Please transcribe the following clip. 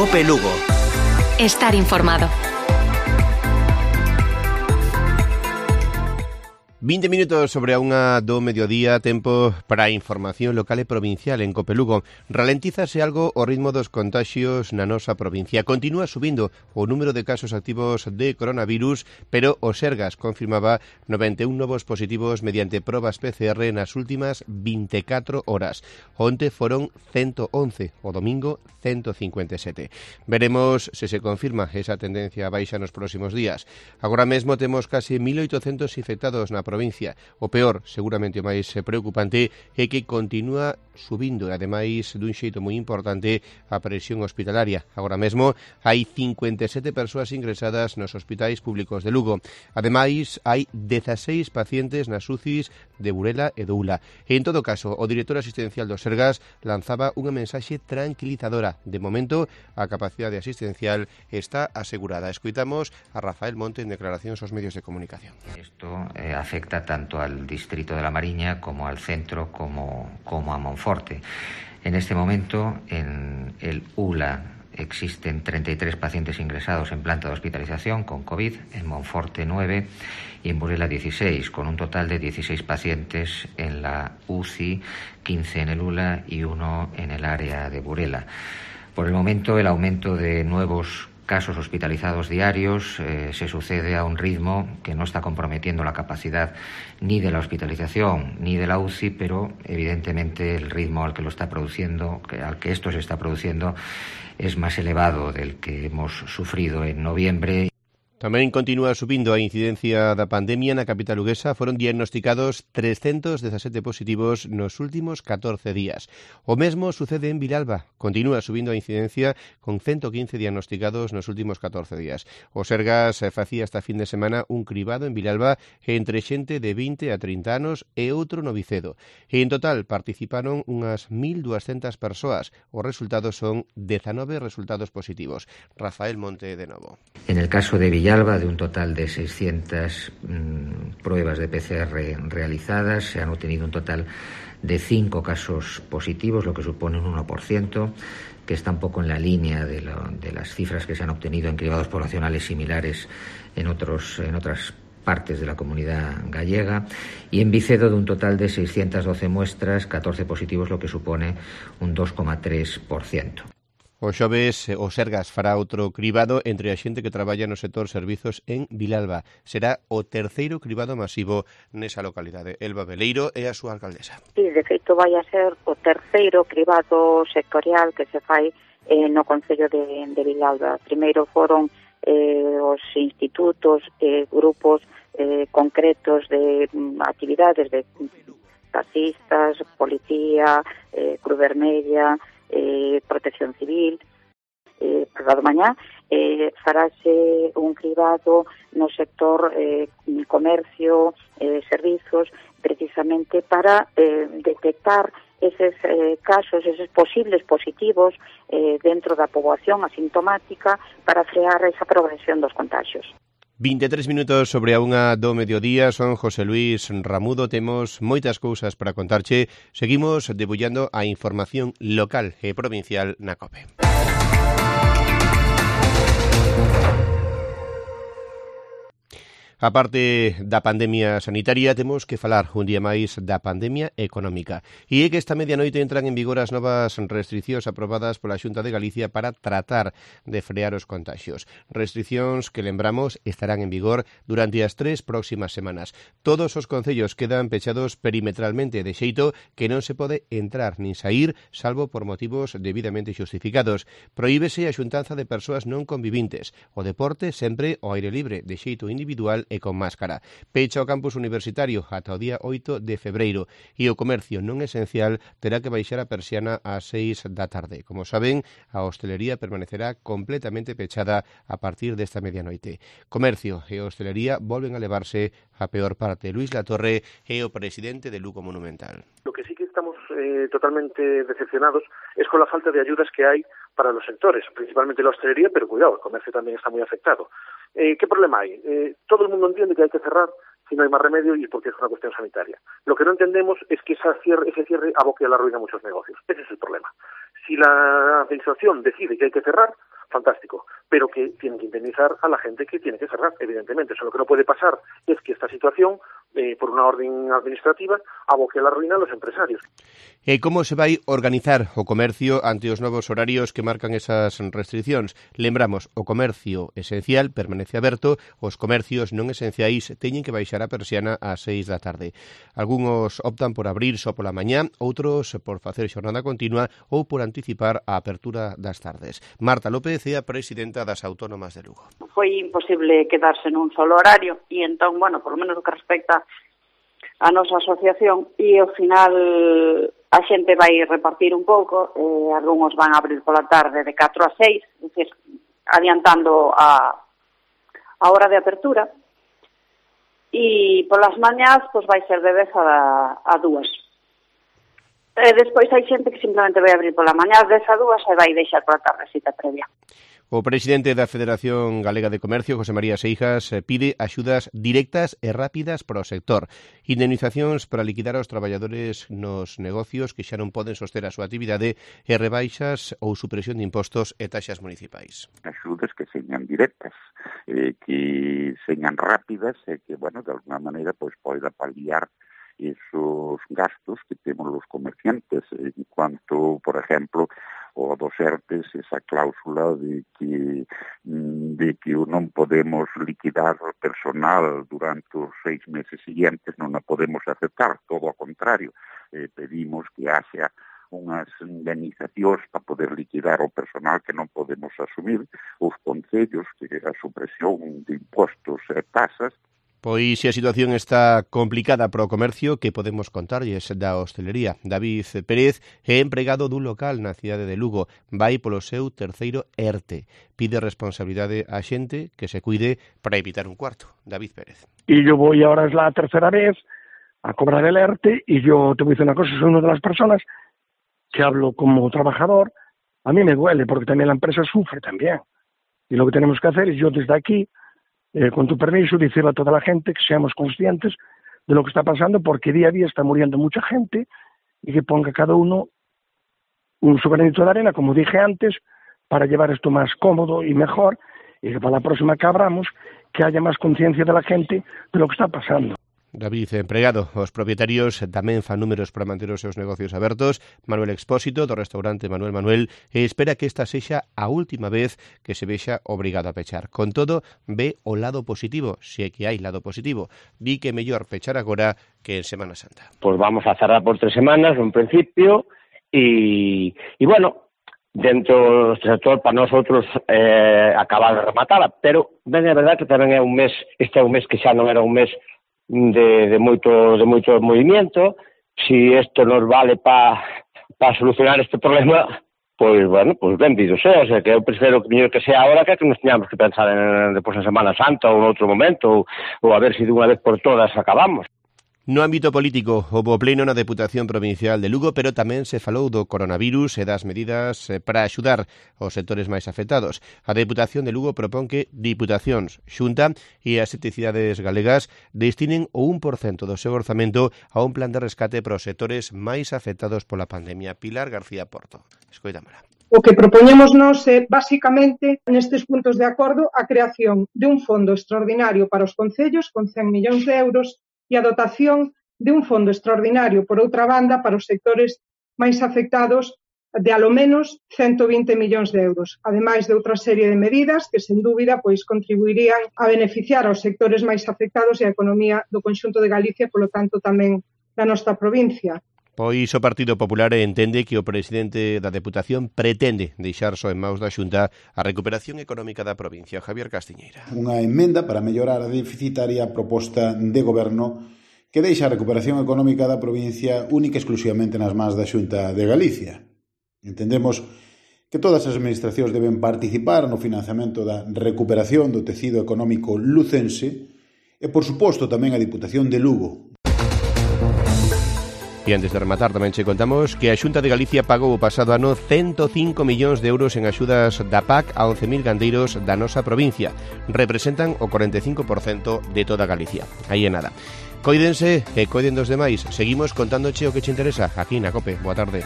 COPE Lugo. Estar informado. 20 minutos sobre a unha do mediodía, tempo para a información local e provincial en COPE Lugo. Ralentízase algo o ritmo dos contaxios na nosa provincia. Continúa subindo o número de casos activos de coronavirus, pero o Sergas confirmaba 91 novos positivos mediante probas PCR nas últimas 24 horas. Onte foron 111, o domingo 157. Veremos se se confirma esa tendencia a baixa nos próximos días. Agora mesmo temos case 1.800 infectados na provincia. O peor, seguramente o máis preocupante, é que continúa subindo, e ademais dun xeito moi importante, a presión hospitalaria. Agora mesmo hai 57 persoas ingresadas nos hospitais públicos de Lugo. Ademais, hai 16 pacientes nas UCIs de Burela e do Ula. E, en todo caso, o director asistencial do Sergas lanzaba unha mensaxe tranquilizadora. De momento, a capacidade asistencial está asegurada. Escoitamos a Rafael Monte en declaracións aos medios de comunicación. Esto afecta tanto al distrito de La Mariña como al centro como a Monforte. En este momento, en el ULA existen 33 pacientes ingresados en planta de hospitalización con COVID, en Monforte 9 y en Burela 16, con un total de 16 pacientes en la UCI, 15 en el ULA y 1 en el área de Burela. Por el momento, el aumento de nuevos casos hospitalizados diarios se sucede a un ritmo que no está comprometiendo la capacidad ni de la hospitalización ni de la UCI, pero evidentemente el ritmo al que esto se está produciendo es más elevado del que hemos sufrido en noviembre. Tamén continúa subindo a incidencia da pandemia na capital luguesa. Foron diagnosticados 317 positivos nos últimos 14 días. O mesmo sucede en Vilalba. Continúa subindo a incidencia con 115 diagnosticados nos últimos 14 días. O Sergas facía esta fin de semana un cribado en Vilalba entre xente de 20 a 30 anos e outro no Vicedo. E en total participaron unhas 1.200 persoas. Os resultados son 19 resultados positivos. Rafael Monte de novo. En el caso de Villalba, de un total de 600 pruebas de PCR realizadas, se han obtenido un total de 5 casos positivos, lo que supone un 1%, que está un poco en la línea de las cifras que se han obtenido en cribados poblacionales similares en otras partes de la comunidad gallega, y en Vicedo, de un total de 612 muestras, 14 positivos, lo que supone un 2,3%. O xoves o Sergas fará outro cribado entre a xente que traballa no sector servizos en Vilalba. Será o terceiro cribado masivo nesa localidade. Elba Veleiro é a súa alcaldesa. Sí, de feito vai a ser o terceiro cribado sectorial que se fai no Concello de Vilalba. Primeiro foron os institutos, grupos concretos de actividades de taxistas, policía, Cruz Vermella, Protección Civil. Pasado mañá farase un cribado no sector comercio, servizos, precisamente para detectar eses casos, eses posibles positivos dentro da poboación asintomática para frear esa progresión dos contagios. 23 minutos sobre a unha do mediodía. Son José Luis Ramudo. Temos moitas cousas para contarche. Seguimos debullando a información local e provincial na COPE. A parte da pandemia sanitaria, temos que falar un día máis da pandemia económica. E é que esta medianoite entran en vigor as novas restriccións aprobadas pola Xunta de Galicia para tratar de frear os contagios. Restriccións que, lembramos, estarán en vigor durante as 3 próximas semanas. Todos os concellos quedan pechados perimetralmente, de xeito que non se pode entrar nin saír, salvo por motivos debidamente xustificados. Prohíbese a xuntanza de persoas non convivintes. O deporte sempre ao aire libre, de xeito individual e con máscara. Pecha o campus universitario ata o día 8 de febreiro e o comercio non esencial terá que baixar a persiana ás 6 da tarde. Como saben, a hostelería permanecerá completamente pechada a partir desta medianoite. Comercio e hostelería volven a levarse a peor parte. Luis Latorre é o presidente de Lugo Monumental. Lo que sí que estamos totalmente decepcionados es con la falta de ayudas que hay para los sectores, principalmente la hostelería, pero cuidado, el comercio también está muy afectado. ¿Qué problema hay? Todo el mundo entiende que hay que cerrar si no hay más remedio y porque es una cuestión sanitaria. Lo que no entendemos es que ese cierre aboque a la ruina a muchos negocios. Ese es el problema. Si la administración decide que hay que cerrar, fantástico, pero que tienen que indemnizar a la gente que tiene que cerrar, evidentemente. Eso lo que no puede pasar es que esta situación, por una orden administrativa, aboque a la ruína a los empresarios. E como se vai organizar o comercio ante os novos horarios que marcan esas restriccións? Lembramos, o comercio esencial permanece aberto, os comercios non esenciais teñen que baixar a persiana ás 6 da tarde. Algúns optan por abrir só pola mañá, outros por facer xornada continua ou por anticipar a apertura das tardes. Marta López é a presidenta das Autónomas de Lugo. Foi imposible quedarse nun solo horario e entón, bueno, por lo menos o que respecta a nosa asociación, e ao final a xente vai repartir un pouco, algúns van a abrir pola tarde de 4 a 6, é dicir, adiantando a hora de apertura, e polas mañás pois vai ser de 10 a 2. Despois hai xente que simplemente vai abrir pola mañá de 10 a 2 e vai deixar pola tarde cita previa. O presidente da Federación Galega de Comercio, José María Seijas, pide axudas directas e rápidas para o sector. Indemnizacións para liquidar aos traballadores nos negocios que xa non poden soster a súa actividade e rebaixas ou supresión de impostos e taxas municipais. Axudas que señan directas, que señan rápidas e que, bueno, de alguna maneira, pois poida paliar esos gastos que temos os comerciantes en cuanto, por ejemplo, o dos ERTES, esa cláusula de que non podemos liquidar o personal durante os 6 meses seguintes, non a podemos aceptar, todo ao contrario, pedimos que haxa unhas indemnizacións para poder liquidar o personal que non podemos asumir, os concellos, que a supresión de impostos e tasas. Pois se a situación está complicada para o comercio, que podemos contarlles da hostelería. David Pérez é empregado dun local na cidade de Lugo. Vai polo seu terceiro ERTE. Pide responsabilidade á xente que se cuide para evitar un cuarto. David Pérez. Y yo voy ahora, es la tercera vez, a cobrar el ERTE, y yo te voy a decir una cosa, soy una de las personas que hablo como trabajador. A mí me duele, porque también la empresa sufre también. Y lo que tenemos que hacer es, yo desde aquí, con tu permiso, decirle a toda la gente que seamos conscientes de lo que está pasando, porque día a día está muriendo mucha gente, y que ponga cada uno su granito de arena, como dije antes, para llevar esto más cómodo y mejor, y que para la próxima que abramos, que haya más conciencia de la gente de lo que está pasando. David, empregado, os propietarios tamén fan números para manter os seus negocios abertos. Manuel Expósito, do restaurante Manuel, espera que esta sexa a última vez que se vexa obrigado a pechar. Con todo, ve o lado positivo, se é que hai lado positivo. Di que é mellor pechar agora que en Semana Santa. Pues vamos a cerrar por 3 semanas, en principio, y bueno, dentro do sector para nosotros acabar de rematarla, pero ben é verdad que tamén é un mes, este é un mes que xa non era un mes de moito movimiento. Si isto nos vale para solucionar este problema, pois, bueno, pois benvido sea. O sea, que eu prefiro que sea ahora que nos teñamos que pensar en depois en Semana Santa ou en outro momento, ou a ver se de unha vez por todas acabamos. No ámbito político, houbo pleno na Deputación Provincial de Lugo, pero tamén se falou do coronavirus e das medidas para axudar os sectores máis afectados. A Deputación de Lugo propón que Diputacións, Xunta e as 7 cidades galegas destinen o 1% do seu orzamento a un plan de rescate para os sectores máis afectados pola pandemia. Pilar García Porto. Escoitámola. O que propoñemos nós é, basicamente, nestes puntos de acordo, a creación de un fondo extraordinario para os concellos con 100 millóns de euros e a dotación de un fondo extraordinario, por outra banda, para os sectores máis afectados de, alo menos, 120 millóns de euros, ademais de outra serie de medidas que, sen dúbida, pois contribuirían a beneficiar aos sectores máis afectados e a economía do conxunto de Galicia, polo tanto, tamén da nosa provincia. Pois o Partido Popular entende que o presidente da Deputación pretende deixar só en maus da Xunta a recuperación económica da provincia. Javier Castiñeira. Unha emenda para mellorar a deficitaria proposta de goberno que deixa a recuperación económica da provincia única e exclusivamente nas mans da Xunta de Galicia. Entendemos que todas as administracións deben participar no financiamento da recuperación do tecido económico lucense e, por suposto, tamén a Diputación de Lugo. E antes de rematar tamén che contamos que a Xunta de Galicia pagou o pasado ano 105 millóns de euros en axudas da PAC a 11.000 gandeiros da nosa provincia. Representan o 45% de toda Galicia. Aí é nada. Coídense e coiden dos demais. Seguimos contándoche o que che interesa aquí na COPE. Boa tarde.